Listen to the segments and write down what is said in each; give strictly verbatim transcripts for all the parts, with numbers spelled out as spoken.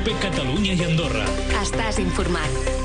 COPE Catalunya i Andorra. Estàs informat.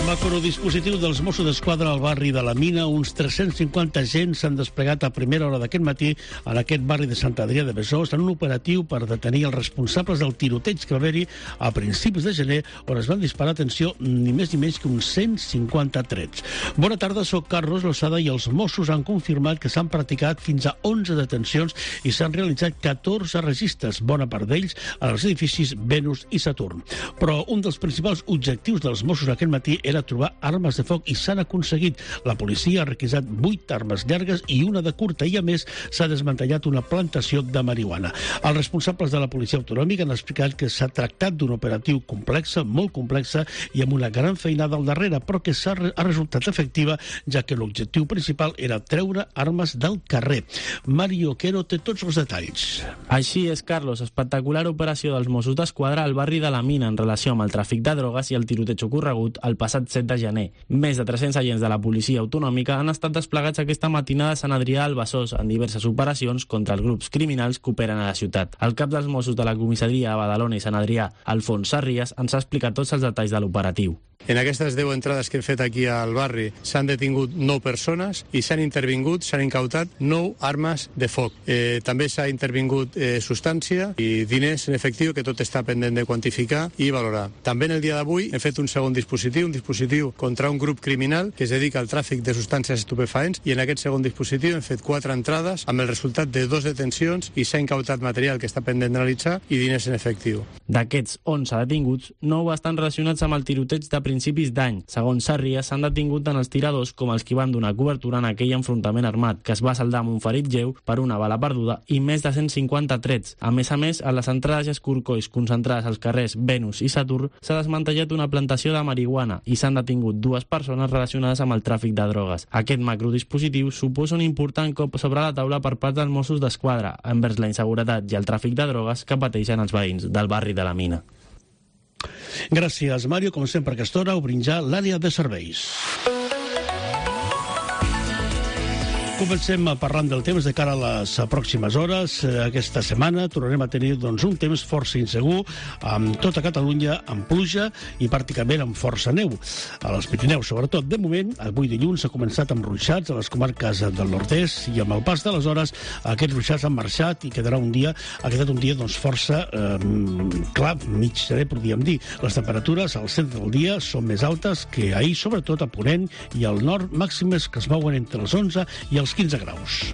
Macrodispositiu dels Mossos d'Esquadra al barri de la Mina. Uns tres-cents cinquanta agents s'han desplegat a primera hora d'aquest matí en aquest barri de Sant Adrià de Besòs en un operatiu per detenir els responsables del tiroteig que va haver-hi a principis de gener, on es van disparar, atenció, ni més ni menys que uns cent cinquanta trets. Bona tarda, soc Carlos Lozada i els Mossos han confirmat que s'han practicat fins a onze detencions i s'han realitzat catorze registres, bona part d'ells als edificis Venus i Saturn. Però un dels principals objectius dels Mossos aquest matí era trobar armes de foc i s'han aconseguit. La policia ha requisat vuit armes llargues i una de curta i, a més, s'ha desmantellat una plantació de marihuana. Els responsables de la policia autonòmica han explicat que s'ha tractat d'un operatiu complexa, molt complexa i amb una gran feinada al darrere, però que s'ha ha resultat efectiva, ja que l'objectiu principal era treure armes del carrer. Mario Quero té tots els detalls. Així és, Carlos. Espectacular operació dels Mossos d'Esquadra al barri de la Mina en relació amb el tràfic de drogues i el tiroteig ocorregut el passat set de gener. Més de tres-cents agents de la policia autonòmica han estat desplegats aquesta matinada a Sant Adrià al Besòs en diverses operacions contra els grups criminals que operen a la ciutat. El cap dels Mossos de la comissaria de Badalona i Sant Adrià, Alfons Sarrias, ens ha explicat tots els detalls de l'operatiu. En aquestes deu entrades que hem fet aquí al barri s'han detingut nou persones i s'han intervingut, s'han incautat nou armes de foc. Eh, també s'ha intervingut eh, substància i diners en efectiu, que tot està pendent de quantificar i valorar. També en el dia d'avui hem fet un segon dispositiu, un dispositiu contra un grup criminal que es dedica al tràfic de substàncies estupefaents, i en aquest segon dispositiu hem fet quatre entrades amb el resultat de dos detencions i s'ha incautat material que està pendent d'analitzar i diners en efectiu. D'aquests onze detinguts, nou estan relacionats amb el tiroteig de principis d'any. Segons Sarrias, s'han detingut tant els tiradors com els que van donar cobertura en aquell enfrontament armat, que es va saldar amb un ferit lleu per una bala perduda i més de cent cinquanta trets. A més a més, a les entrades i escorcolls concentrades als carrers Venus i Saturn s'ha desmantellat una plantació de marihuana i s'han detingut dues persones relacionades amb el tràfic de drogues. Aquest macrodispositiu suposa un important cop sobre la taula per part dels Mossos d'Esquadra envers la inseguretat i el tràfic de drogues que pateixen els veïns del barri de la Mina. Gràcies, Mario. Com sempre a aquesta hora, obrim ja l'àrea de serveis. Comencem parlant del temps de cara a les pròximes hores. Aquesta setmana tornarem a tenir doncs, un temps força insegur amb tota Catalunya, amb pluja i pràcticament amb força neu. A les Pirineus, sobretot. De moment, avui dilluns s'ha començat amb ruixats a les comarques del nord-est i amb el pas de les hores aquests ruixats han marxat i quedarà un dia, ha quedat un dia doncs, força eh, clar, mig serè, podríem dir. Les temperatures al centre del dia són més altes que ahir, sobretot a Ponent i al nord, màximes que es mouen entre els onze i els quinze graus.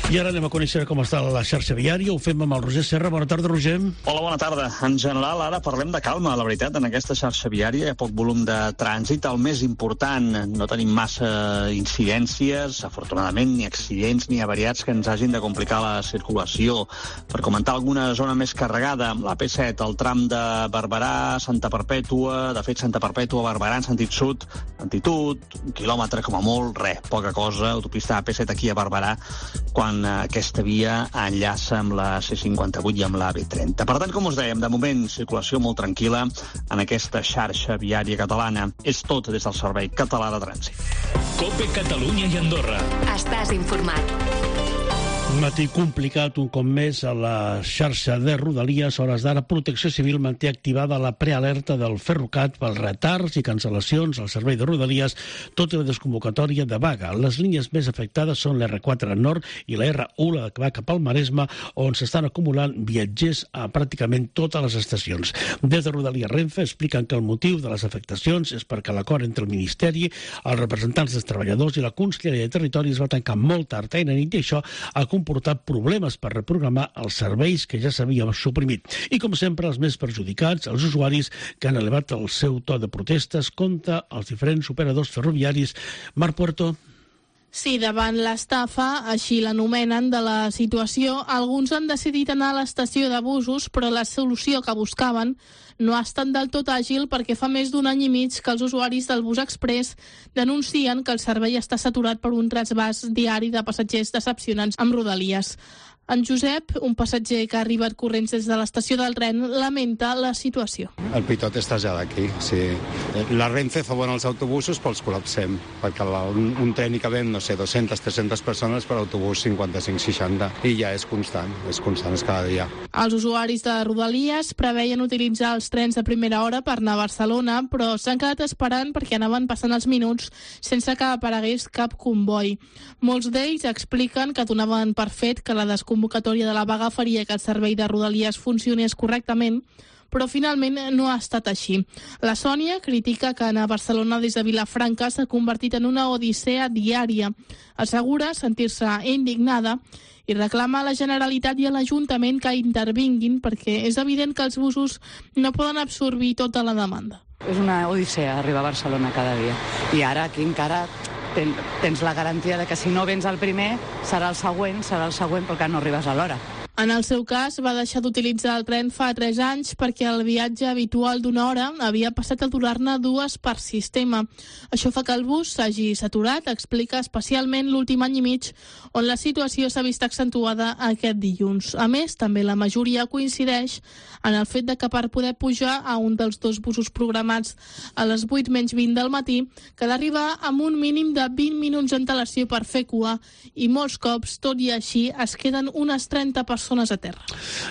I ara anem a conèixer com està la xarxa viària. Ho fem amb el Roger Serra. Bona tarda, Roger. Hola, bona tarda. En general, ara parlem de calma, la veritat, en aquesta xarxa viària. Hi ha poc volum de trànsit. El més important, no tenim massa incidències, afortunadament, ni accidents ni avariats que ens hagin de complicar la circulació. Per comentar alguna zona més carregada, la P set, el tram de Barberà, Santa Perpètua, de fet, Santa Perpètua, Barberà, en sentit sud, lentitud, un quilòmetre com a molt, res, poca cosa, autopista A P set aquí a Barberà, quan aquesta via enllaça amb la C cinquanta-vuit i amb la B trenta. Per tant, com us dèiem, de moment, circulació molt tranquil·la en aquesta xarxa viària catalana. És tot des del Servei Català de Trànsit. COPE Catalunya i Andorra. Estàs informat. Un matí complicat un cop més a la xarxa de Rodalies. A hores d'ara, Protecció Civil manté activada la prealerta del Ferrocat pels retards i cancel·lacions al servei de Rodalies, tot i la desconvocatòria de vaga. Les línies més afectades són l'R quatre Nord i la R u, la que va cap al Maresme, on s'estan acumulant viatgers a pràcticament totes les estacions. Des de Rodalies Renfe expliquen que el motiu de les afectacions és perquè l'acord entre el Ministeri, els representants dels treballadors i la Conselleria de Territori es va tancar molt tard a la nit i això ha comportat problemes per reprogramar els serveis que ja s'havien suprimit. I, com sempre, els més perjudicats, els usuaris que han elevat el seu to de protestes contra els diferents operadors ferroviaris. Marc Puerto. Sí, davant l'estafa, així l'anomenen, de la situació, alguns han decidit anar a l'estació de busos, però la solució que buscaven no ha estat del tot àgil perquè fa més d'un any i mig que els usuaris del Bus Express denuncien que el servei està saturat per un trasbàs diari de passatgers decepcionants amb Rodalies. En Josep, un passatger que ha arribat corrents des de l'estació del tren, lamenta la situació. El pitot és traslladar aquí, sí. La Renfe fa bon als autobusos, però els col·lapsem, perquè un, un tren hi cabem, no sé, dues-centes, tres-centes persones per autobús cinquanta-cinc seixanta, i ja és constant, és constant, és cada dia. Els usuaris de Rodalies preveien utilitzar els trens de primera hora per anar a Barcelona, però s'han quedat esperant perquè anaven passant els minuts sense que aparegués cap comboi. Molts d'ells expliquen que donaven per fet que la desconvocatòria de la vaga faria que el servei de Rodalies funcionés correctament, però finalment no ha estat així. La Sònia critica que anar a Barcelona des de Vilafranca s'ha convertit en una odissea diària. Assegura sentir-se indignada i reclama a la Generalitat i a l'Ajuntament que intervinguin perquè és evident que els busos no poden absorbir tota la demanda. És una odissea arribar a Barcelona cada dia. I ara aquí encara ten, tens la garantia de que si no vens el primer serà el següent, serà el següent perquè no arribes a l'hora. En el seu cas, va deixar d'utilitzar el tren fa tres anys perquè el viatge habitual d'una hora havia passat a durar-ne dues per sistema. Això fa que el bus s'hagi saturat, explica especialment l'últim any i mig, on la situació s'ha vist accentuada aquest dilluns. A més, també la majoria coincideix en el fet de que per poder pujar a un dels dos busos programats a les vuit menys vint del matí, que d'arribar amb un mínim de vint minuts d'antelació per fer cua, i molts cops, tot i així, es queden unes trenta persones a terra.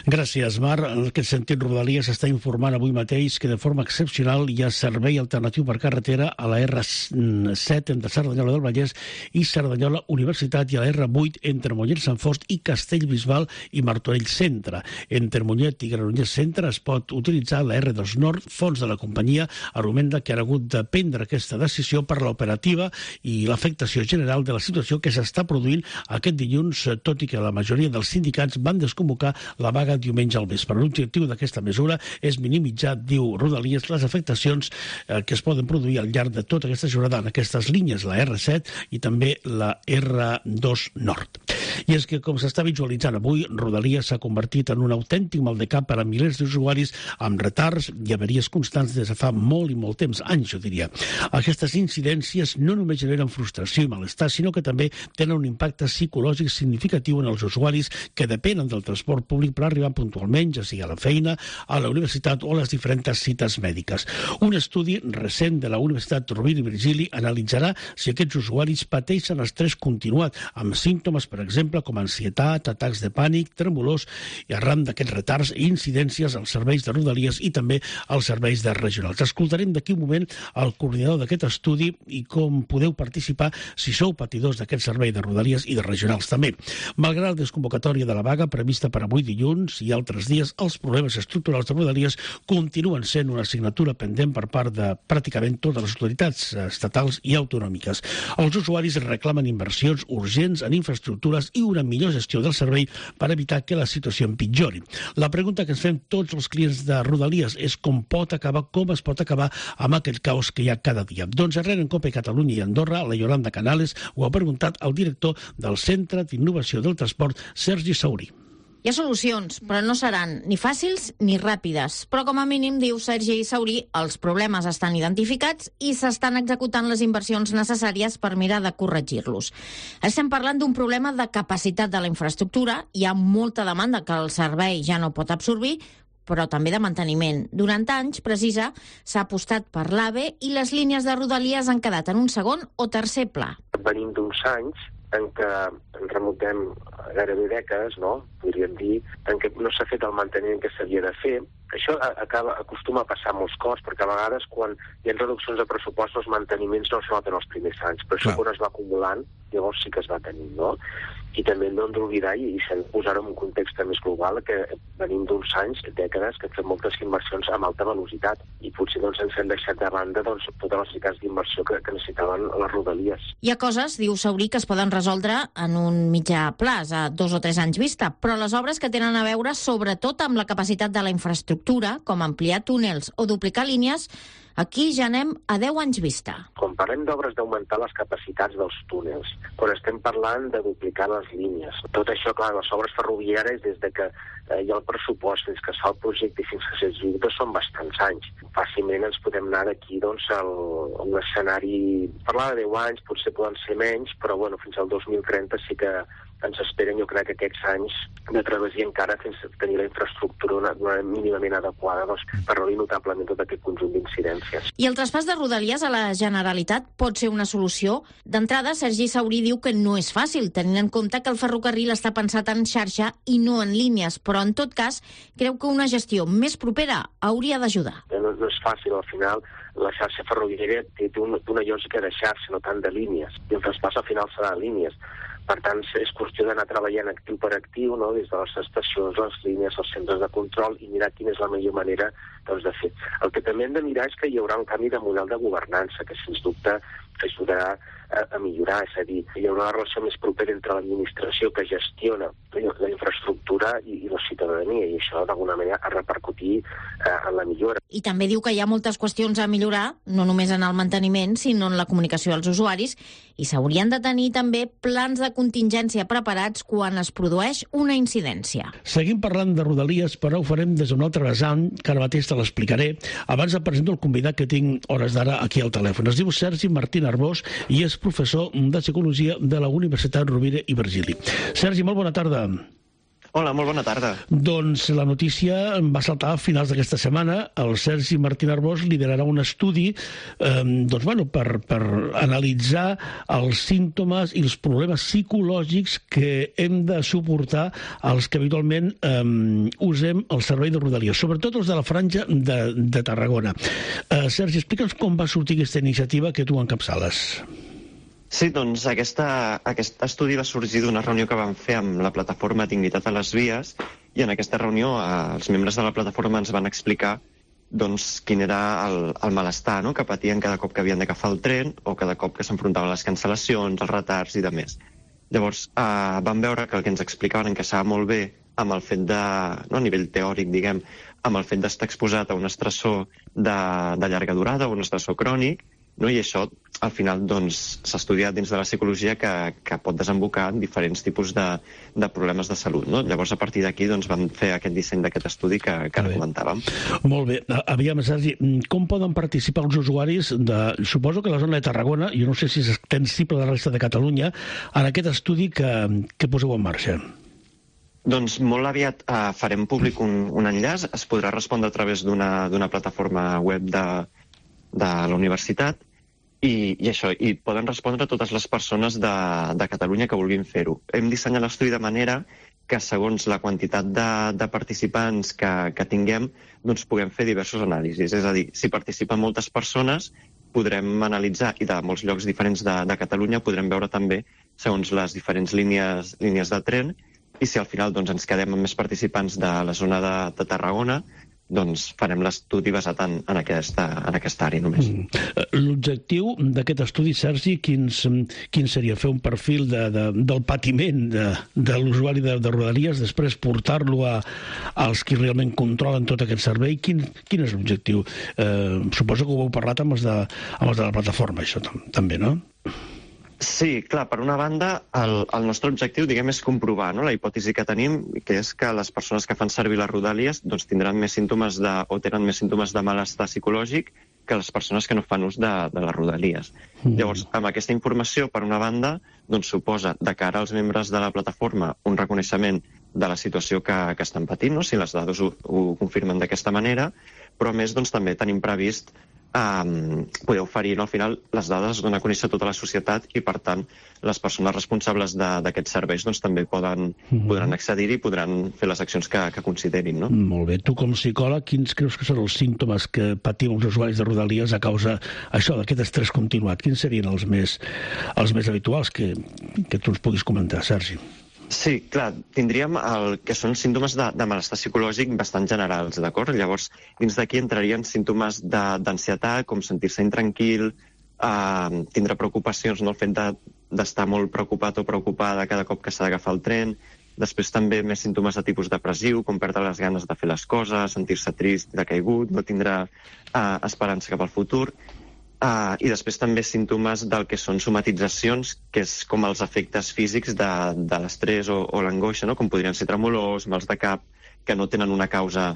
Gràcies, Mar. En aquest sentit, Rodalies està informant avui mateix que de forma excepcional hi ha servei alternatiu per carretera a la erre set entre Cerdanyola del Vallès i Cerdanyola Universitat i a la erre vuit entre Mollet Sant Fost i Castellbisbal i Martorell Centre. Entre Mollet i Granollers Centre es pot utilitzar la erre dos Nord. Fons de la companyia argumenta que han hagut de prendre aquesta decisió per l'operativa i l'afectació general de la situació que s'està produint aquest dilluns, tot i que la majoria dels sindicats van desconvocar la vaga diumenge al vespre. L'objectiu d'aquesta mesura és minimitzar, diu Rodalies, les afectacions eh, que es poden produir al llarg de tota aquesta jornada en aquestes línies, la erre set i també la erre dos Nord. I és que, com s'està visualitzant avui, Rodalies s'ha convertit en un autèntic maldecap per a milers d'usuaris amb retards i averies constants des de fa molt i molt temps, anys, jo diria. Aquestes incidències no només generen frustració i malestar, sinó que també tenen un impacte psicològic significatiu en els usuaris que depenen del transport públic per arribar puntualment, ja sigui a la feina, a la universitat o a les diferents cites mèdiques. Un estudi recent de la Universitat Rovira i Virgili analitzarà si aquests usuaris pateixen estrès continuat, amb símptomes, per exemple, com ansietat, atacs de pànic, tremolors, i arran d'aquests retards i incidències als serveis de Rodalies i també als serveis de regionals. Escoltarem d'aquí un moment el coordinador d'aquest estudi i com podeu participar si sou patidors d'aquest servei de Rodalies i de regionals també. Malgrat la desconvocatòria de la vaga prevista per avui dilluns i altres dies, els problemes estructurals de Rodalies continuen sent una assignatura pendent per part de pràcticament totes les autoritats estatals i autonòmiques. Els usuaris reclamen inversions urgents en infraestructures i una millor gestió del servei per evitar que la situació empitjori. La pregunta que ens fem tots els clients de Rodalies és com pot acabar, com es pot acabar amb aquest caos que hi ha cada dia. Doncs arrel en COPE Catalunya i Andorra, la Yolanda Canales ho ha preguntat al director del Centre d'Innovació del Transport, Sergi Saurí. Hi ha solucions, però no seran ni fàcils ni ràpides. Però com a mínim, diu Sergi Saurí, els problemes estan identificats i s'estan executant les inversions necessàries per mirar de corregir-los. Estem parlant d'un problema de capacitat de la infraestructura, hi ha molta demanda que el servei ja no pot absorbir, però també de manteniment. Durant anys, precisa, s'ha apostat per l'AVE i les línies de Rodalies han quedat en un segon o tercer pla. Venim d'uns anys en què ens remuntem gairebé dècades, no? Podríem dir, en què no s'ha fet el manteniment que s'havia de fer. Això acaba, acostuma a passar molts cops, perquè a vegades quan hi ha reduccions de pressupost els manteniments no es noten els primers anys, però això quan es va acumulant, llavors sí que es va tenir, no? I també no hem d'oblidar, i s'ha de posar en un context més global, que venim d'uns anys, dècades, que hem fet moltes inversions amb alta velocitat, i potser doncs, ens hem deixat de banda doncs, totes les necessitats d'inversió que, que necessitaven les Rodalies. Hi ha coses, diu Saurí, que es poden resoldre en un mitjà plaç, a dos o tres anys vista, però les obres que tenen a veure sobretot amb la capacitat de la infraestructura, com ampliar túnels o duplicar línies, aquí ja anem a deu anys vista. Quan parlem d'obres d'augmentar les capacitats dels túnels, quan estem parlant de duplicar les línies, tot això, clar, les obres ferroviàries, des de que eh, hi ha el pressupost fins que es fa el projecte i fins que s'executa, són bastants anys. Fàcilment ens podem anar d'aquí doncs, a un escenari, parlar de deu anys, potser poden ser menys, però bueno, fins al dos mil trenta sí que ens esperen, jo crec, aquests anys de travessia encara sense tenir la infraestructura una, una mínimament adequada doncs, per reduir notablement tot aquest conjunt d'incidències. I el traspàs de Rodalies a la Generalitat pot ser una solució? D'entrada, Sergi Saurí diu que no és fàcil, tenint en compte que el ferrocarril està pensat en xarxa i no en línies, però en tot cas creu que una gestió més propera hauria d'ajudar. No, no és fàcil, al final la xarxa ferroviària té una, una lògica de xarxa, no tant de línies, i el traspàs al final serà de línies. Per tant, és qüestió d'anar treballant actiu per actiu, no? Des de les estacions, les línies, els centres de control, i mirar quina és la millor manera doncs, de fer. El que també hem de mirar és que hi haurà un canvi de model de governança, que sens dubte ajudarà a, a millorar, és a dir, hi haurà una relació més propera entre l'administració que gestiona la infraestructura i, i la ciutadania, i això d'alguna manera ha repercutir eh, en la millora. I també diu que hi ha moltes qüestions a millorar, no només en el manteniment, sinó en la comunicació als usuaris, i s'haurien de tenir també plans de contingència preparats quan es produeix una incidència. Seguim parlant de Rodalies, però ho farem des d'un altre vessant, que ara mateix te l'explicaré. Abans et presento el convidat que tinc hores d'ara aquí al telèfon. Es diu Sergi Martín Arbós i és professor de Psicologia de la Universitat Rovira i Virgili. Sergi, molt bona tarda. Hola, molt bona tarda. Doncs la notícia va saltar a finals d'aquesta setmana. El Sergi Martín Arbós liderarà un estudi eh, doncs, bueno, per, per analitzar els símptomes i els problemes psicològics que hem de suportar els que habitualment eh, usem el servei de Rodalies, sobretot els de la franja de, de Tarragona. Eh, Sergi, explica'ns com va sortir aquesta iniciativa que tu encapçales. Sí, doncs aquesta, aquest estudi va sorgir d'una reunió que vam fer amb la plataforma Dignitat a les Vies, i en aquesta reunió eh, els membres de la plataforma ens van explicar doncs, quin era el, el malestar, no?, que patien cada cop que havien d'agafar el tren o cada cop que s'enfrontaven a les cancel·lacions, els retards i de més. Llavors eh, vam veure que el que ens explicaven encaixava molt bé amb el fet de, no, a nivell teòric, diguem, amb el fet d'estar exposat a un estressor de, de llarga durada, un estressor crònic, no? I això, al final, doncs, s'ha estudiat dins de la psicologia que, que pot desembocar en diferents tipus de, de problemes de salut, no? Llavors, a partir d'aquí, doncs, vam fer aquest disseny d'aquest estudi que, que ara comentàvem. Molt bé. Aviam, Sergi, com poden participar els usuaris de... Suposo que la zona de Tarragona, jo no sé si és extensible a la resta de Catalunya, en aquest estudi que, que poseu en marxa? Doncs molt aviat eh, farem públic un, un enllaç, es podrà respondre a través d'una d'una plataforma web de, de la universitat, i, i això, i poden respondre totes les persones de, de Catalunya que vulguin fer-ho. Hem dissenyat l'estudi de manera que, segons la quantitat de, de participants que, que tinguem, doncs puguem fer diversos anàlisis. És a dir, si participen moltes persones, podrem analitzar, i de molts llocs diferents de, de Catalunya, podrem veure també, segons les diferents línies, línies de tren, i si al final doncs, ens quedem amb més participants de la zona de, de Tarragona, doncs farem l'estudi basat en, en, aquesta, en aquesta àrea només. Mm. L'objectiu d'aquest estudi, Sergi, quins, quin seria? Fer un perfil de, de, del patiment de, de l'usuari de, de Rodalies, després portar-lo als qui realment controlen tot aquest servei? Quin, quin és l'objectiu? Eh, suposo que ho heu parlat amb els de, amb els de la plataforma, això també, no? Sí, clar, per una banda, el, el nostre objectiu, diguem, és comprovar, no?, la hipòtesi que tenim, que és que les persones que fan servir les Rodalies doncs, tindran més símptomes de, o tenen més símptomes de malestar psicològic que les persones que no fan ús de, de les Rodalies. Mm. Llavors, amb aquesta informació, per una banda, doncs, suposa, de cara als membres de la plataforma, un reconeixement de la situació que, que estan patint, no?, si les dades ho, ho confirmen d'aquesta manera, però a més doncs, també tenim previst Um, poder oferir, no? Al final les dades es donen a conèixer tota la societat i per tant les persones responsables d'aquests serveis doncs, també poden, mm-hmm. podran accedir-hi i podran fer les accions que, que considerin, no? Molt bé. Tu com a psicòleg, quins creus que són els símptomes que patim els usuaris de Rodalies a causa això d'aquest estrès continuat? Quins serien els més, els més habituals que, que tu ens puguis comentar, Sergi? Sí, clar, tindríem el que són símptomes de, de malestar psicològic bastant generals, d'acord? Llavors, dins d'aquí entrarien símptomes d'ansietat, com sentir-se intranquil, eh, tindre preocupacions, no? El fet d'estar de, molt preocupat o preocupada cada cop que s'ha d'agafar el tren. Després també més símptomes de tipus depressiu, com perdre les ganes de fer les coses, sentir-se trist, decaigut, no tindrà eh, esperança cap al futur. Uh, I després també símptomes del que són somatitzacions, que és com els efectes físics de, de l'estrès o, o l'angoixa, no? Com podrien ser tremolors, mals de cap, que no tenen una causa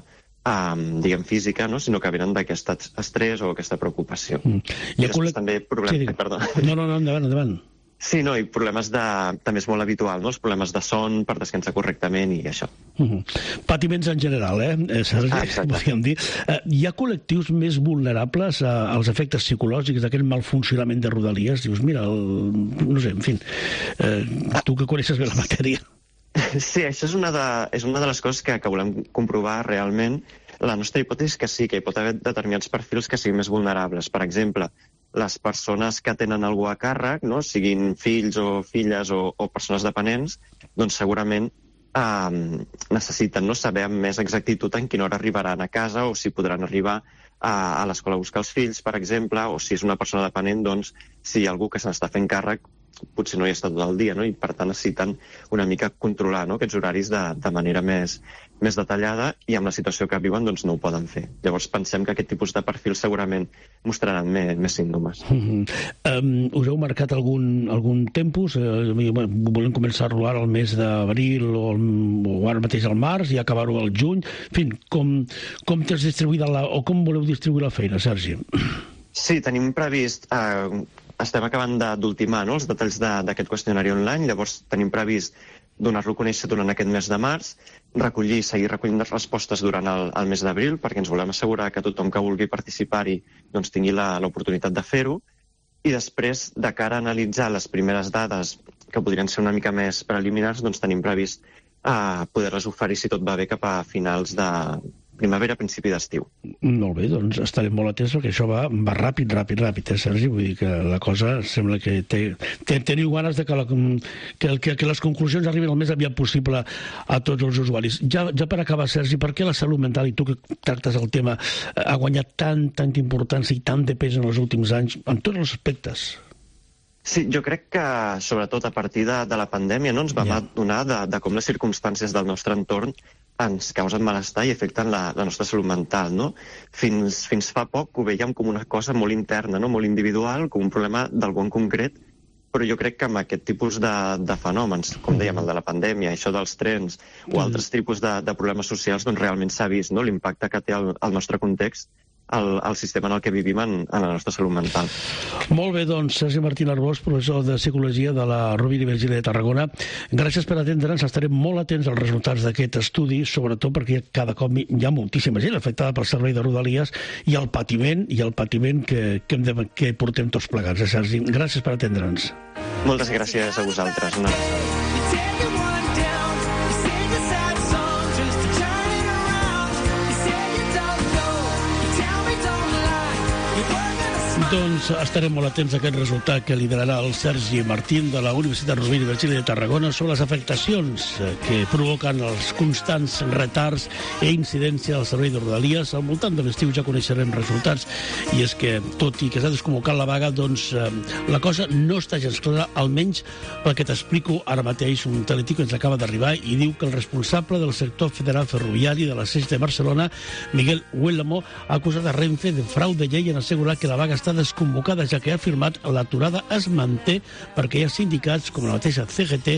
um, diguem, física, no? Sinó que venen d'aquest estrès o aquesta preocupació. Mm. I, I després col·le... també problemes... Sí, perdó. No, no, no, endavant, endavant. Sí, no, i problemes de... també és molt habitual, no?, els problemes de son, per descansar correctament i això. Uh-huh. Patiments en general, eh, Sergi? Ah, podríem dir. Eh, hi ha col·lectius més vulnerables a, als efectes psicològics d'aquest mal funcionament de Rodalies? Dius, mira, el... no sé, en fi, eh, tu que coneixes bé la matèria. Sí, això és una de, és una de les coses que, que volem comprovar realment. La nostra hipòtesi és que sí, que hi pot haver determinats perfils que siguin més vulnerables. Per exemple, les persones que tenen algú a càrrec, no?, siguin fills o filles o, o persones dependents, doncs segurament eh, necessiten no saber amb més exactitud en quina hora arribaran a casa o si podran arribar a, a l'escola a buscar els fills, per exemple, o si és una persona dependent, doncs si hi ha algú que se n'està fent càrrec potser no hi està tot el dia, no?, i per tant necessiten una mica controlar, no?, aquests horaris de, de manera més, més detallada, i amb la situació que viuen doncs no ho poden fer. Llavors pensem que aquest tipus de perfils segurament mostraran més, més símptomes. Mm-hmm. um, us heu marcat algun, algun tempus? Uh, volem començar a rolar el mes d'abril o, o ara mateix al març i acabar-ho al juny? En fi, com, com tens distribuïda la, o com voleu distribuir la feina, Sergi? Sí, tenim previst... Uh, estem acabant d'ultimar, no?, els detalls d'aquest qüestionari online, llavors tenim previst donar-lo a conèixer durant aquest mes de març, recollir, seguir recollint les respostes durant el, el mes d'abril, perquè ens volem assegurar que tothom que vulgui participar-hi doncs, tingui l'oportunitat de fer-ho, i després, de cara a analitzar les primeres dades, que podrien ser una mica més preliminars, doncs tenim previst eh, poder-les oferir, si tot va bé, cap a finals de primavera, principi d'estiu. Molt bé, doncs estarem molt atents perquè això va, va ràpid, ràpid, ràpid, eh, Sergi? Vull dir que la cosa sembla que té, té, teniu ganes de que, la, que, que, que les conclusions arribin el més aviat possible a tots els usuaris. Ja, ja per acabar, Sergi, per què la salut mental, i tu que tractes el tema, ha guanyat tant, tant importància i tant de pes en els últims anys, en tots els aspectes? Sí, jo crec que, sobretot a partir de, de la pandèmia, no ens vam yeah. adonar de, de com les circumstàncies del nostre entorn ens causen malestar i afecten la, la nostra salut mental, no? Fins, fins fa poc ho veiem com una cosa molt interna, no?, molt individual, com un problema d'algú en concret, però jo crec que amb aquest tipus de, de fenòmens, com dèiem, el de la pandèmia, això dels trens, o altres tipus de, de problemes socials, doncs realment s'ha vist, no?, l'impacte que té el, el nostre context El, el sistema en el que vivim en, en la nostra salut mental. Molt bé, doncs, Sergi Martín Arbós, professor de Psicologia de la Rovira i Virgili de Tarragona. Gràcies per atendre'ns, estarem molt atents als resultats d'aquest estudi, sobretot perquè cada cop hi ha moltíssima gent afectada pel servei de Rodalies i el patiment i el patiment que, que, hem de, que portem tots plegats, eh, Sergi? Gràcies per atendre'ns. Moltes gràcies a vosaltres. Una abraçada. Doncs estarem molt atents a aquest resultat que liderarà el Sergi Martín de la Universitat Rovira i Virgili de Tarragona sobre les afectacions que provoquen els constants retards i incidència del servei de Rodalies. Al voltant de l'estiu ja coneixerem resultats, i és que, tot i que s'ha desconvocat la vaga, doncs la cosa no està gens clara, almenys pel que t'explico ara mateix. Un teletip que ens acaba d'arribar i diu que el responsable del sector federal ferroviari de la C G T de Barcelona, Miguel Huélamo, ha acusat a Renfe de frau de llei en assegurar que la vaga està desconvocada, ja que ha afirmat l'aturada es manté perquè hi ha sindicats com la mateixa C G T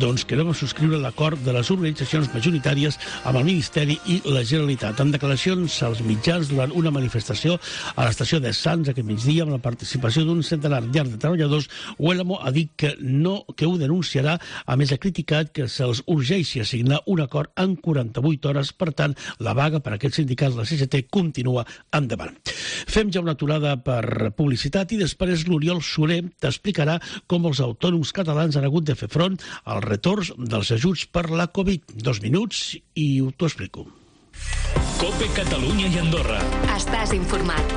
doncs, que no van subscriure l'acord de les organitzacions majoritàries amb el Ministeri i la Generalitat. En declaracions als mitjans durant una manifestació a l'estació de Sants aquest migdia amb la participació d'un centenar llarg de treballadors, Huélamo ha dit que no, que ho denunciarà. A més, ha criticat que se'ls urgeixi a signar un acord en quaranta-vuit hores. Per tant, la vaga per a aquests sindicats, la C G T, continua endavant. Fem ja una aturada per publicitat i després l'Oriol Soler t'explicarà com els autònoms catalans han hagut de fer front als retorns dels ajuts per la Covid. Dos minuts i t'ho explico. COPE Catalunya i Andorra. Estàs informat.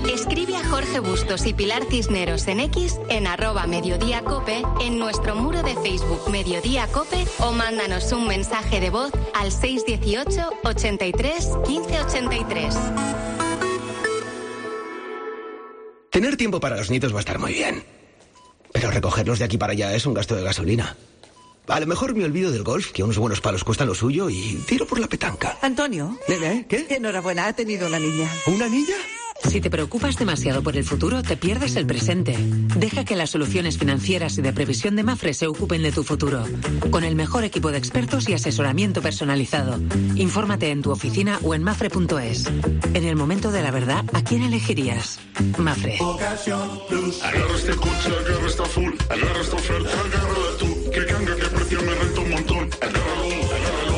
Escribe a Jorge Bustos y Pilar Cisneros en X, en arroba Mediodía Cope, en nuestro muro de Facebook Mediodía Cope, o mándanos un mensaje de voz al seis dieciocho, ochenta y tres, quince ochenta y tres. Tener tiempo para los nietos va a estar muy bien, pero recogerlos de aquí para allá es un gasto de gasolina. A lo mejor me olvido del golf, que unos buenos palos cuestan lo suyo, y tiro por la petanca. Antonio. ¿Eh? ¿Qué? Enhorabuena, ha tenido una niña. ¿Una niña? Si te preocupas demasiado por el futuro, te pierdes el presente. Deja que las soluciones financieras y de previsión de Mapfre se ocupen de tu futuro. Con el mejor equipo de expertos y asesoramiento personalizado. Infórmate en tu oficina o en mafre punto es. En el momento de la verdad, ¿a quién elegirías? Mapfre. Agarra este coche, agarra esta full, agarra esta oferta, agárrala tú. Que canga, que precio me renta un montón. Agárralo, agárralo.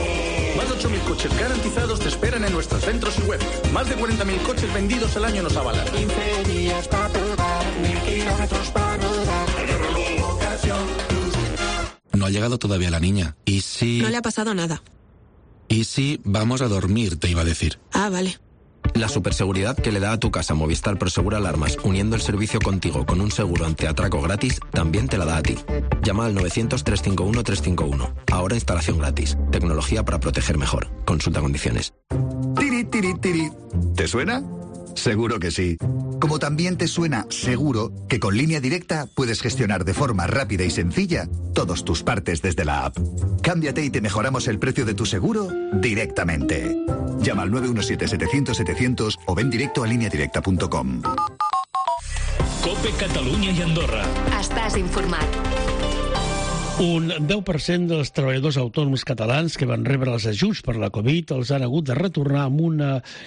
Más de ocho mil coches garantizados te esperan en nuestros centros y web. Más de cuarenta mil coches vendidos al año nos avalan. quince días para probar, mil kilómetros para rodar. Agárralo, Ocasión Plus. No ha llegado todavía la niña. ¿Y si...? No le ha pasado nada. ¿Y si vamos a dormir, te iba a decir? Ah, vale. La superseguridad que le da a tu casa Movistar Prosegur Alarmas, uniendo el servicio contigo con un seguro antiatraco gratis, también te la da a ti. Llama al novecientos, trescientos cincuenta y uno, trescientos cincuenta y uno. Ahora instalación gratis. Tecnología para proteger mejor. Consulta condiciones. Tiri, tiri, tiri. ¿Te suena? Seguro que sí. Como también te suena seguro que con Línea Directa puedes gestionar de forma rápida y sencilla todos tus partes desde la app. Cámbiate y te mejoramos el precio de tu seguro directamente. Llama al nueve uno siete, setecientos, setecientos o ven directo a línea directa punto com. Cope Catalunya i Andorra. Estàs informat. Un deu per cent dels treballadors autònoms catalans que van rebre els ajuts per la Covid els han hagut de retornar amb un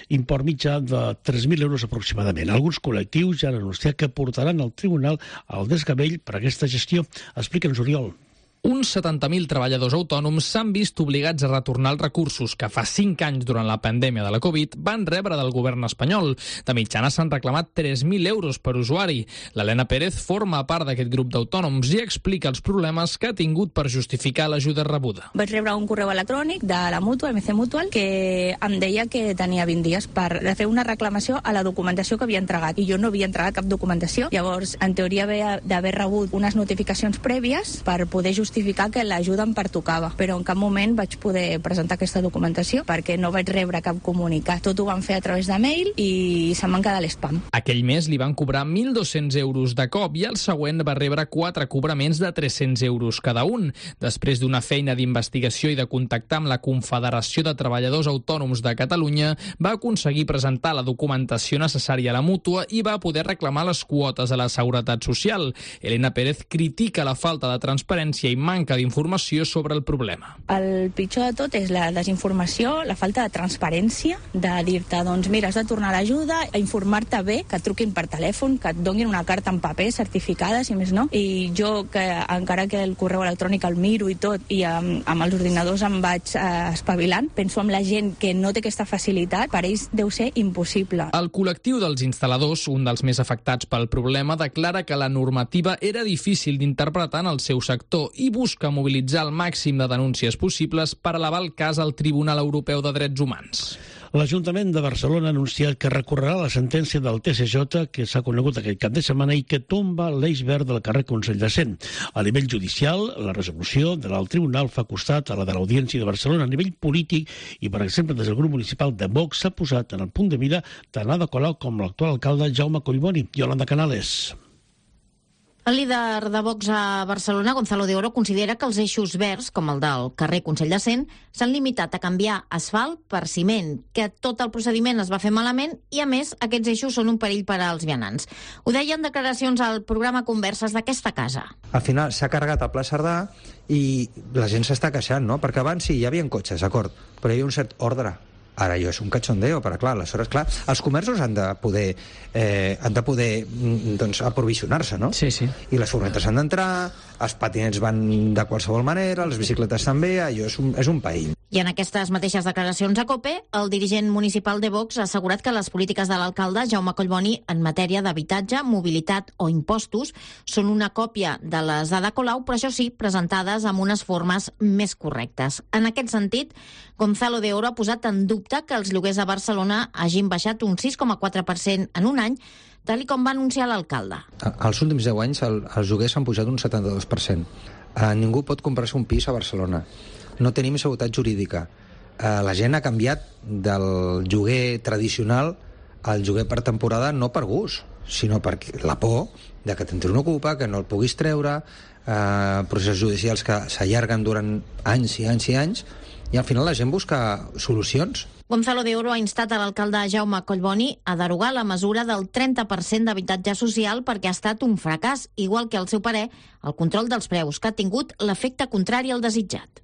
import mitjà de tres mil euros aproximadament. Alguns col·lectius ja han anunciat que portaran al tribunal el desgavell per aquesta gestió. Explica'ns, Oriol. Uns setanta mil treballadors autònoms s'han vist obligats a retornar els recursos que fa cinc anys durant la pandèmia de la Covid van rebre del govern espanyol. De mitjana s'han reclamat tres mil euros per usuari. L'Helena Pérez forma part d'aquest grup d'autònoms i explica els problemes que ha tingut per justificar l'ajuda rebuda. Vaig rebre un correu electrònic de la Mútua, M C Mutual, que em deia que tenia vint dies per fer una reclamació a la documentació que havia entregat, i jo no havia entregat cap documentació. Llavors, en teoria, havia d'haver rebut unes notificacions prèvies per poder justificar justificar que l'ajuda em pertocava, però en cap moment vaig poder presentar aquesta documentació perquè no vaig rebre cap comunicat. Tot ho van fer a través de mail i se'm van quedar a l'espam. Aquell mes li van cobrar mil dos-cents euros de cop i el següent va rebre quatre cobraments de tres-cents euros cada un. Després d'una feina d'investigació i de contactar amb la Confederació de Treballadors Autònoms de Catalunya, va aconseguir presentar la documentació necessària a la Mútua i va poder reclamar les quotes a la Seguretat Social. Helena Pérez critica la falta de transparència i manca d'informació sobre el problema. El pitjor de tot és la desinformació, la falta de transparència, de dir-te, doncs mira, has de tornar l'ajuda, a informar-te bé, que et truquin per telèfon, que et donin una carta en paper certificada, si més no. I jo, que encara que el correu electrònic el miro i tot, i amb, amb els ordinadors em vaig eh, espavilant, penso en la gent que no té aquesta facilitat, per ells deu ser impossible. El col·lectiu dels instal·ladors, un dels més afectats pel problema, declara que la normativa era difícil d'interpretar en el seu sector i busca mobilitzar el màxim de denúncies possibles per elevar el cas al Tribunal Europeu de Drets Humans. L'Ajuntament de Barcelona ha anunciat que recorrerà la sentència del T C J que s'ha conegut aquest cap de setmana i que tomba l'eix verd del carrer Consell de Cent. A nivell judicial, la resolució de l'alt tribunal fa costat a la de l'Audiència de Barcelona. A nivell polític, i per exemple des del grup municipal de Vox, s'ha posat en el punt de mira tant Ada Colau com l'actual alcalde Jaume Collboni. Yolanda Canales. El líder de Vox a Barcelona, Gonzalo de Oro, considera que els eixos verds, com el del carrer Consell de Cent, s'han limitat a canviar asfalt per ciment, que tot el procediment es va fer malament i, a més, aquests eixos són un perill per als vianants. Ho deien declaracions al programa Converses d'aquesta casa. Al final s'ha carregat el Pla Cerdà i la gent s'està queixant, no? Perquè abans sí, hi havia cotxes, d'acord, però hi havia un cert ordre. Ara jo és un cachondeo, però clar, aleshores, clar, els comerços han de poder, eh, han de poder doncs, aprovisionar-se, no? Sí, sí. I les furgonetes han d'entrar, els patinets van de qualsevol manera, les bicicletes també, allò és un, és un perill. I en aquestes mateixes declaracions a COPE, el dirigent municipal de Vox ha assegurat que les polítiques de l'alcalde Jaume Collboni en matèria d'habitatge, mobilitat o impostos són una còpia de les d'Ada Colau, però això sí, presentades amb unes formes més correctes. En aquest sentit, Gonzalo de Oro ha posat en dubte que els lloguers a Barcelona hagin baixat un sis coma quatre per cent en un any, tal com va anunciar l'alcalde. Als últims deu anys el, els lloguers s'han pujat un setanta-dos per cent. Eh, ningú pot comprar-se un pis a Barcelona. No tenim seguretat jurídica. Eh, la gent ha canviat del lloguer tradicional al lloguer per temporada, no per gust, sinó per la por de que t'entri una ocupa, que no el puguis treure, eh, processos judicials que s'allarguen durant anys i anys i anys, i al final la gent busca solucions. Gonzalo de Oro ha instat a l'alcalde Jaume Collboni a derogar la mesura del trenta per cent d'habitatge social perquè ha estat un fracàs, igual que, al seu parer, el control dels preus, que ha tingut l'efecte contrari al desitjat.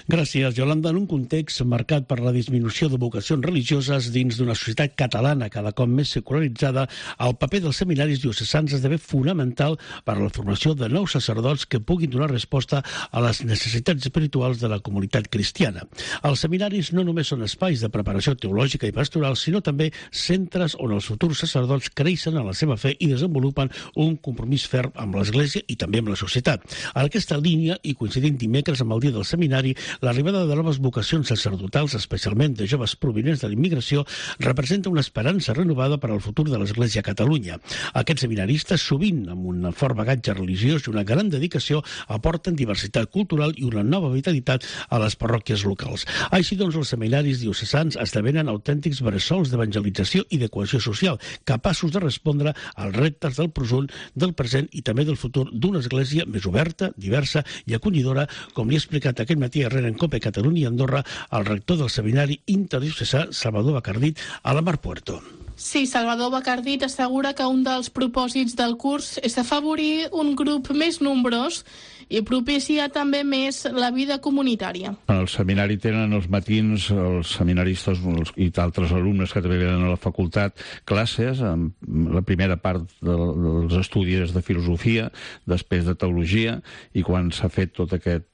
Gràcies, Yolanda. En un context marcat per la disminució de vocacions religioses dins d'una societat catalana cada cop més secularitzada, el paper dels seminaris diocesans esdevé fonamental per a la formació de nous sacerdots que puguin donar resposta a les necessitats espirituals de la comunitat cristiana. Els seminaris no només són espais de preparació teològica i pastoral, sinó també centres on els futurs sacerdots creixen en la seva fe i desenvolupen un compromís ferm amb l'Església i també amb la societat. En aquesta línia, i coincidint dimecres amb el dia del seminari, l'arribada de noves vocacions sacerdotals, especialment de joves provinents de la immigració, representa una esperança renovada per al futur de l'Església a Catalunya. Aquests seminaristes, sovint amb un fort bagatge religiós i una gran dedicació, aporten diversitat cultural i una nova vitalitat a les parròquies locals. Així doncs, els seminaris diocesans esdevenen autèntics bressols d'evangelització i de cohesió social, capaços de respondre als reptes del present, del present i també del futur d'una Església més oberta, diversa i acollidora, com li ha explicat aquest matí a en COPE Catalunya i Andorra el rector del Seminari Interdiocesà, Salvador Bacardit, a la Mar Puerto. Sí, Salvador Bacardit assegura que un dels propòsits del curs és afavorir un grup més nombrós i propiciar també més la vida comunitària. En el seminari tenen els matins els seminaristes i altres alumnes que també venen a la facultat classes, amb la primera part dels estudis de filosofia, després de teologia, i quan s'ha fet tot aquest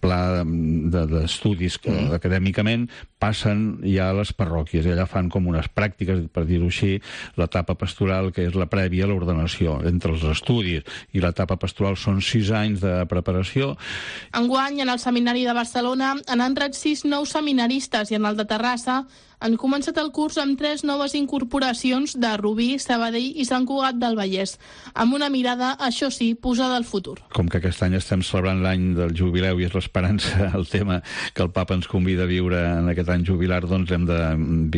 pla d'estudis mm. acadèmicament, passen ja a les parròquies, i allà fan com unes pràctiques, per dir-ho així, l'etapa pastoral, que és la prèvia a l'ordenació. Entre els estudis i l'etapa pastoral són sis anys de preparació. Enguany, en el Seminari de Barcelona, han entrat sis nous seminaristes i en el de Terrassa han començat el curs amb tres noves incorporacions de Rubí, Sabadell i Sant Cugat del Vallès, amb una mirada, això sí, posada al futur. Com que aquest any estem celebrant l'any del jubileu i és l'esperança, el tema que el papa ens convida a viure en aquest any jubilar, doncs hem de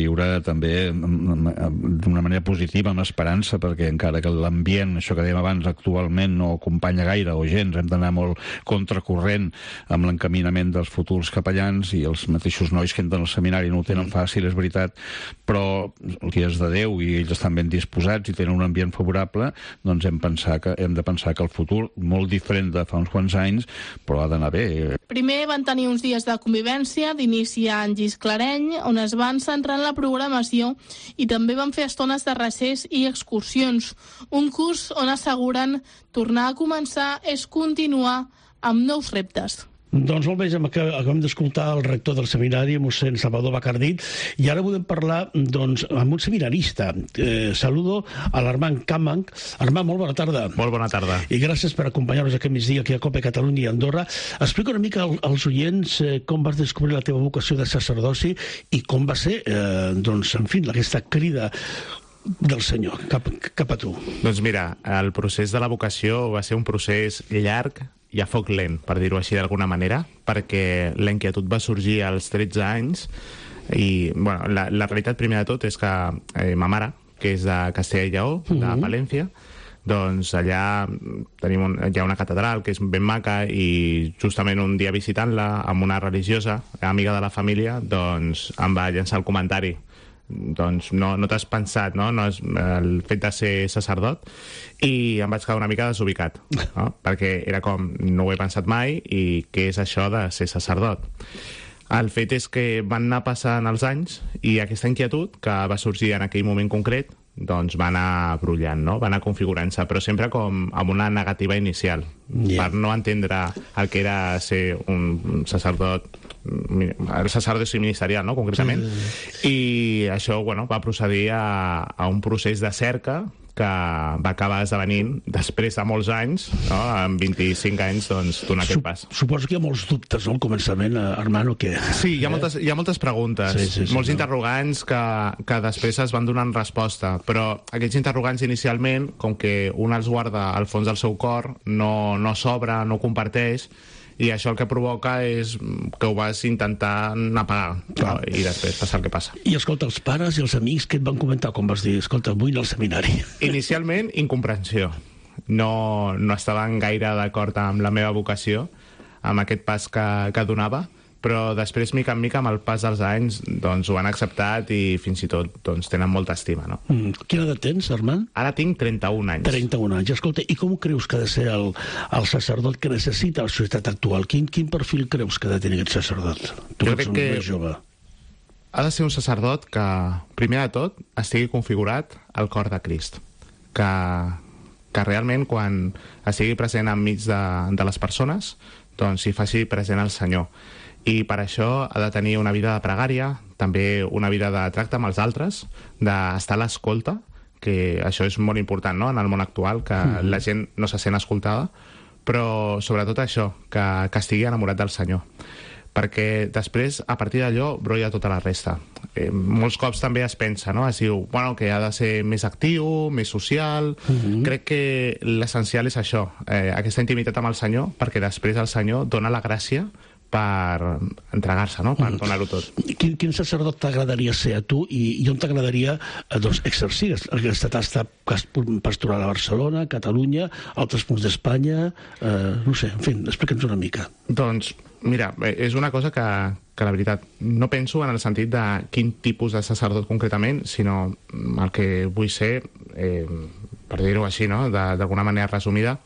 viure també d'una manera positiva, amb esperança, perquè encara que l'ambient, això que dèiem abans, actualment no acompanya gaire o gens, hem d'anar molt contracorrent amb l'encaminament dels futurs capellans, i els mateixos nois que entren al seminari no ho tenen fàcil, és veritat, però el que és de Déu i ells estan ben disposats i tenen un ambient favorable, doncs hem, pensar que, hem de pensar que el futur, molt diferent de fa uns quants anys, però ha d'anar bé. Primer van tenir uns dies de convivència, d'inici a Angis Clareny, on es van centrar en la programació i també van fer estones de recés i excursions. Un curs on asseguren tornar a començar és continuar amb nous reptes. Doncs molt bé, acabem d'escoltar el rector del seminari, mossèn Salvador Bacardit, i ara podem parlar doncs, amb un seminarista. Eh, saludo a l'Armand Camang. Armand, molt bona tarda. Molt bona tarda. I gràcies per acompanyar-nos aquest migdia aquí a COPE Catalunya i Andorra. Explica una mica als oients eh, com vas descobrir la teva vocació de sacerdoci i com va ser, eh, doncs, en fi, aquesta crida del Senyor, cap, cap a tu. Doncs mira, el procés de la vocació va ser un procés llarg i a foc lent, per dir-ho així d'alguna manera, perquè la inquietud va sorgir als tretze anys i, bueno, la, la realitat primer de tot és que eh, ma mare, que és de Castella i Lleó, de mm-hmm. Palència, doncs allà tenim un, hi ha una catedral que és ben maca i justament un dia visitant-la amb una religiosa, amiga de la família, doncs em va llançar el comentari: doncs no, no t'has pensat, no? No és, el fet de ser sacerdot, i em vaig quedar una mica desubicat, no? Perquè era com, no ho he pensat mai, i què és això de ser sacerdot? El fet és que van anar passant els anys i aquesta inquietud que va sorgir en aquell moment concret doncs va anar brollant, no? Va anar configurant-se, però sempre com amb una negativa inicial, yeah. per no entendre el que era ser un sacerdot, el sacerdoci ministerial, no?, concretament. Sí, sí, sí. I això, bueno, va procedir a, a un procés de cerca que va acabar esdevenint, després de molts anys, no?, amb vint-i-cinc anys, doncs, donar aquest pas. Suposo que hi ha molts dubtes, no?, al començament, Armand, o què? Sí, hi ha, eh? moltes, hi ha moltes preguntes, sí, sí, sí, molts no? interrogants que, que després es van donant resposta, però aquests interrogants inicialment, com que un els guarda al fons del seu cor, no, no s'obre, no comparteix, i això el que provoca és que ho vas intentar apagar, no? I després passa el que passa. I escolta, els pares i els amics què et van comentar quan vas dir, escolta, vull anar al seminari? Inicialment, incomprensió. No, no estaven gaire d'acord amb la meva vocació, amb aquest pas que, que donava, però després, mica en mica, amb el pas dels anys, doncs ho han acceptat i fins i tot doncs, tenen molta estima, no? Mm. Quina edat tens, Armand? Ara tinc trenta-un anys. trenta-un anys. Escolta, i com creus que ha de ser el, el sacerdot que necessita la societat actual? Quin, quin perfil creus que ha de tenir aquest sacerdot? Tu jo ets crec un que més jove. Ha de ser un sacerdot que, primer de tot, estigui configurat al cor de Crist. Que, que realment, quan estigui present enmig de, de les persones, doncs s'hi faci present el Senyor. I per això ha de tenir una vida de pregària, també una vida de tracte amb els altres, d'estar a l'escolta, que això és molt important, no?, en el món actual, que mm. la gent no se sent escoltada, però sobretot això, que, que estigui enamorat del Senyor. Perquè després, a partir d'allò, brolla tota la resta. Eh, molts cops també es pensa, no?, es diu, bueno, que ha de ser més actiu, més social... Mm-hmm. Crec que l'essencial és això, eh, aquesta intimitat amb el Senyor, perquè després el Senyor dona la gràcia per entregar-se, no?, per mm. donar-ho tot. Quin, quin sacerdot t'agradaria ser a tu i, i on t'agradaria doncs, exercir aquesta tasca pastoral a Barcelona, a Catalunya, a altres punts d'Espanya, eh, no sé, en fi, explica'ns una mica. Doncs, mira, és una cosa que, que la veritat, no penso en el sentit de quin tipus de sacerdot concretament, sinó el que vull ser, eh, per dir-ho així, no?, d'alguna manera resumida,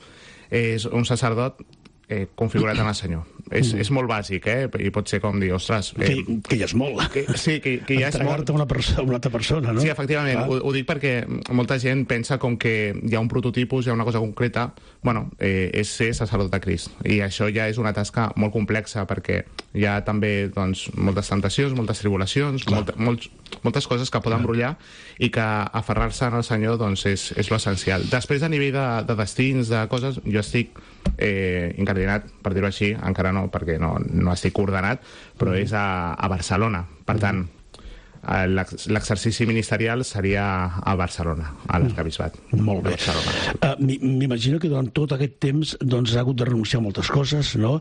és un sacerdot eh, configurat en el Senyor. És, és molt bàsic, eh? I pot ser com dir, ostres... Eh, que, que ja és molt. Que, sí, que, que ja és molt... Entregar-te a una, perso una altra persona, no? Sí, efectivament. Ho, ho dic perquè molta gent pensa com que hi ha un prototipus, hi ha una cosa concreta. Bueno, eh, és ser sacerdot de Crist. I això ja és una tasca molt complexa perquè hi ha també doncs, moltes tentacions, moltes tribulacions, molta, molts, moltes coses que poden brollar i que aferrar-se en el Senyor doncs, és, és l'essencial. Després, a nivell de, de destins, de coses, jo estic eh, incardinat, per dir-ho així, encara no, perquè no, no estic ordenat, però és a, a Barcelona. Per tant, l'exercici ministerial seria a Barcelona, a l'Arquebisbat. Molt bé. Uh, M'imagino que durant tot aquest temps doncs, ha hagut de renunciar a moltes coses, no?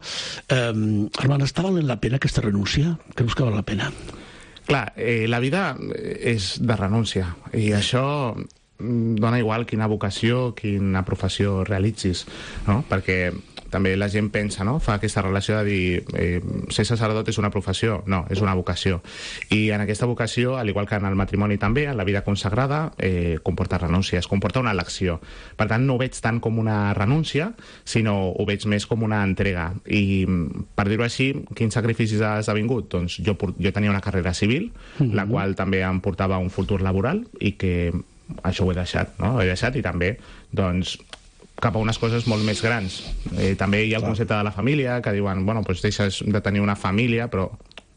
Um, Armand, està valent la pena aquesta renúncia? Creus que val la pena? Clar, eh, la vida és de renúncia, i això dona igual quina vocació, quina professió realitzis, no? Perquè també la gent pensa, no?, fa aquesta relació de dir eh, ser sacerdot és una professió. No, és una vocació. I en aquesta vocació, al igual que en el matrimoni també, en la vida consagrada, eh, comporta renúncies, comporta una elecció. Per tant, no ho veig tant com una renúncia, sinó ho veig més com una entrega. I, per dir-ho així, quins sacrificis ha esdevingut? Doncs jo, jo tenia una carrera civil, mm-hmm. la qual també em portava un futur laboral, i que això ho he deixat, no? Ho he deixat, i també, doncs, cap a unes coses molt més grans. Eh, també hi ha el concepte de la família, que diuen, bueno, doncs deixes de tenir una família, però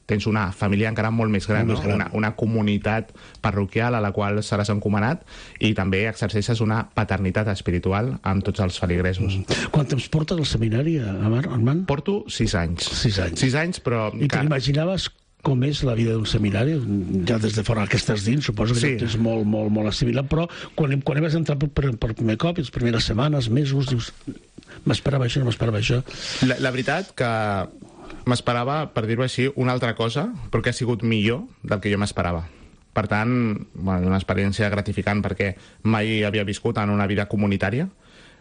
tens una família encara molt més gran, molt no? més gran. Una, una comunitat parroquial a la qual seràs encomanat, i també exerceixes una paternitat espiritual amb tots els feligresos. Mm. Quant temps portes al seminari, Armand? Porto sis anys. Sis anys. Sis anys, però... I te l'imaginaves com és la vida d'un seminari? Ja des de fora que estàs dins, suposo que sí. Ja tens molt, molt, molt assimilat, però quan, quan hi vas entrar per, per, per primer cop, les primeres setmanes, mesos, dius, m'esperava això, no m'esperava això. La, la veritat que m'esperava, per dir-ho així, una altra cosa, però que ha sigut millor del que jo m'esperava. Per tant, bueno, una experiència gratificant, perquè mai havia viscut en una vida comunitària.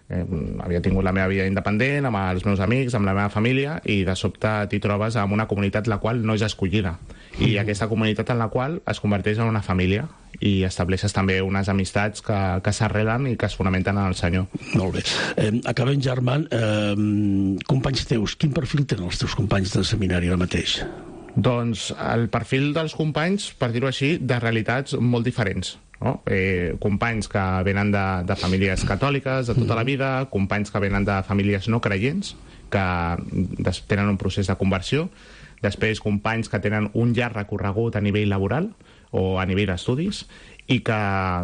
Eh, havia tingut la meva vida independent, amb els meus amics, amb la meva família, i de sobte t'hi trobes amb una comunitat la qual no és escollida. I mm. aquesta comunitat en la qual es converteix en una família, i estableixes també unes amistats que, que s'arrelen i que es fonamenten en el Senyor. Molt bé. Eh, acabem, Armand. Eh, companys teus, quin perfil tenen els teus companys del seminari ara mateix? Doncs el perfil dels companys, per dir-ho així, de realitats molt diferents. No? Eh, companys que venen de, de famílies catòliques de tota la vida, companys que venen de famílies no creients, que tenen un procés de conversió, després companys que tenen un llarg recorregut a nivell laboral o a nivell d'estudis, i que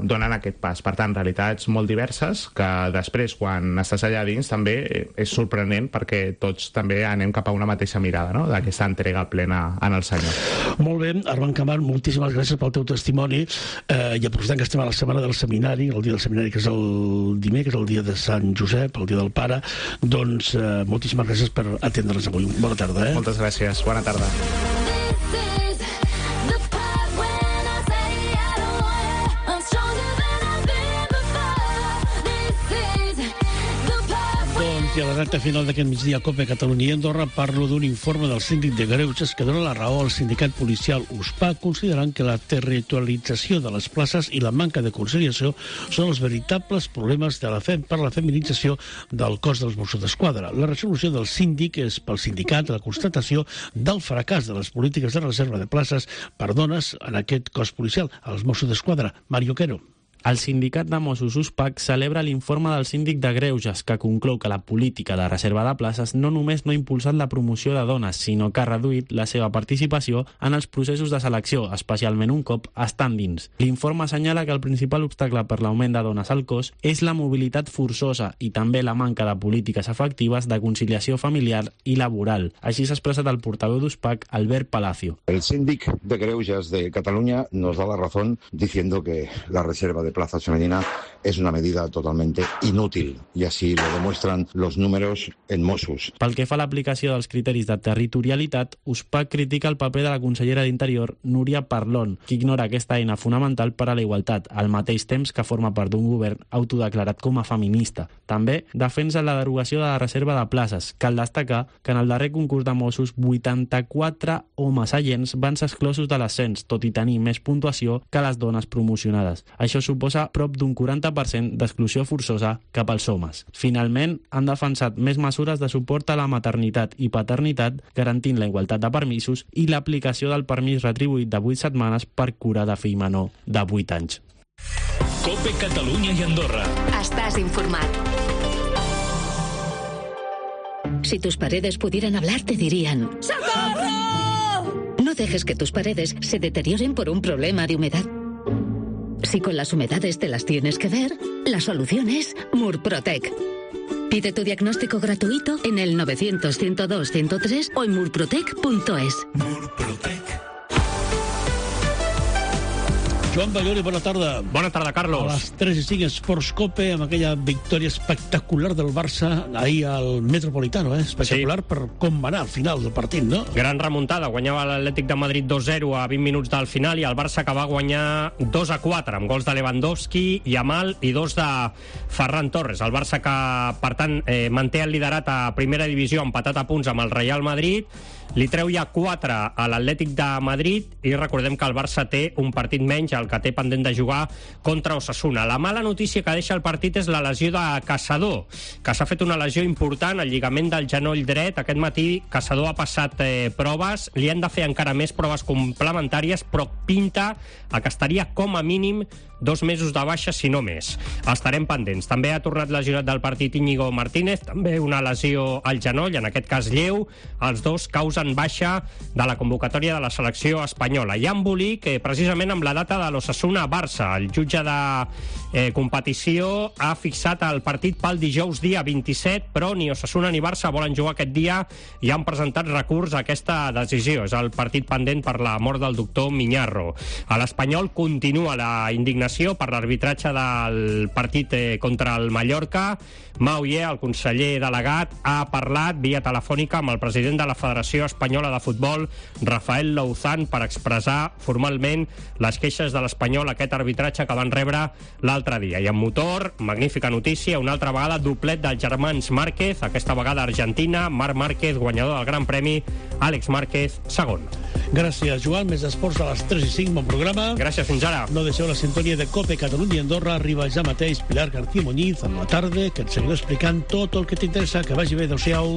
donen aquest pas. Per tant, realitats molt diverses, que després, quan estàs allà dins, també és sorprenent, perquè tots també anem cap a una mateixa mirada, no?, d'aquesta entrega plena en el Senyor. Molt bé, Armand Camar, moltíssimes gràcies pel teu testimoni, eh, i aprofitant que estem a la setmana del seminari, el dia del seminari, que és el dimecres, el dia de Sant Josep, el dia del Pare, doncs eh, moltíssimes gràcies per atendre'ns avui. Bona tarda, eh? Moltes gràcies, bona tarda. I a la data final d'aquest migdia COPE Catalunya i Andorra parlo d'un informe del síndic de Greuges que dona la raó al sindicat policial U S P A, considerant que la territorialització de les places i la manca de conciliació són els veritables problemes de la fem per la feminització del cos dels Mossos d'Esquadra. La resolució del síndic és pel sindicat la constatació del fracàs de les polítiques de reserva de places per dones en aquest cos policial, als Mossos d'Esquadra. Mario Quero. El sindicat de Mossos U S P A C celebra l'informe del síndic de Greuges, que conclou que la política de reserva de places no només no ha impulsat la promoció de dones, sinó que ha reduït la seva participació en els processos de selecció, especialment un cop estan dins. L'informe assenyala que el principal obstacle per l'augment de dones al cos és la mobilitat forçosa i també la manca de polítiques efectives de conciliació familiar i laboral. Així s'ha expressat el portaveu d'U S P A C, Albert Palacio. El síndic de Greuges de Cataluña nos da la razón diciendo que la reserva de plazas femenina es una medida totalmente inútil y así lo demuestran los números en Mossos. Pel que fa a l'aplicació dels criteris de territorialitat, U S P A C critica el paper de la consellera d'Interior, Núria Parlon, que ignora aquesta eina fonamental per a la igualtat, al mateix temps que forma part d'un govern autodeclarat com a feminista. També defensa la derogació de la reserva de places. Cal destacar que en el darrer concurs de Mossos, vuitanta-quatre homes agents van ser exclosos de l'ascens, tot i tenir més puntuació que les dones promocionades. Això suposa prop d'un quaranta per cent d'exclusió forçosa cap als homes. Finalment, han defensat més mesures de suport a la maternitat i paternitat, garantint la igualtat de permisos i l'aplicació del permís retribuït de vuit setmanes per cura de fill menor de vuit anys. COPE Catalunya i Andorra. Estás informat. Si tus paredes pudieran hablar, te dirían: ¡Socorro! No dejes que tus paredes se deterioren por un problema de humedad. Si con las humedades te las tienes que ver, la solución es Murprotec. Pide tu diagnóstico gratuito en el novecientos, ciento dos, ciento tres o en murprotec punto es. Murprotec. Joan Ballori, bona tarda. Bona tarda, Carlos. A les tres i cinc Esports Cope, amb aquella victòria espectacular del Barça ahir al Metropolitano, eh? Espectacular sí. Per com va anar al final del partit, no? Gran remuntada, guanyava l'Atlètic de Madrid dos zero a vint minuts del final i el Barça que va guanyar dos a quatre amb gols de Lewandowski, Yamal i dos de Ferran Torres. El Barça que, per tant, eh, manté el liderat a primera divisió, empatat a punts amb el Real Madrid, li treu ja quatre a l'Atlètic de Madrid i recordem que el Barça té un partit menys, el que té pendent de jugar contra Osasuna. La mala notícia que deixa el partit és la lesió de Caçador, que s'ha fet una lesió important al lligament del genoll dret. Aquest matí Caçador ha passat eh, proves, li han de fer encara més proves complementàries, però pinta a que estaria com a mínim dos mesos de baixa, si no més. Estarem pendents. També ha tornat lesionat del partit Íñigo Martínez, també una lesió al genoll, en aquest cas lleu. Els dos causen baixa de la convocatòria de la selecció espanyola. I embolic, que precisament amb la data de l'Osasuna-Barça, el jutge de eh, competició ha fixat el partit pel dijous dia vint-i-set, però ni Osasuna ni Barça volen jugar aquest dia i han presentat recurs a aquesta decisió. És el partit pendent per la mort del doctor Miñarro. A l'Espanyol continua la indignació per l'arbitratge del partit eh, contra el Mallorca. Mauller, el conseller delegat, ha parlat via telefònica amb el president de la Federació Espanyola de Futbol, Rafael Louzán, per expressar formalment les queixes de l'Espanyol, aquest arbitratge que van rebre l'altre dia. I en motor, magnífica notícia, una altra vegada doblet dels germans Márquez, aquesta vegada Argentina, Marc Márquez, guanyador del Gran Premi, Àlex Márquez, segon. Gràcies, Joan. Més esports a les tres i cinc, bon programa. Gràcies, fins ara. No deixeu la sintonia de COPE Catalunya i Andorra. Arriba ja mateix Pilar García Muñiz amb la tarda, que et seguirà explicant tot el que t'interessa. Que vagi bé, adeu-siau.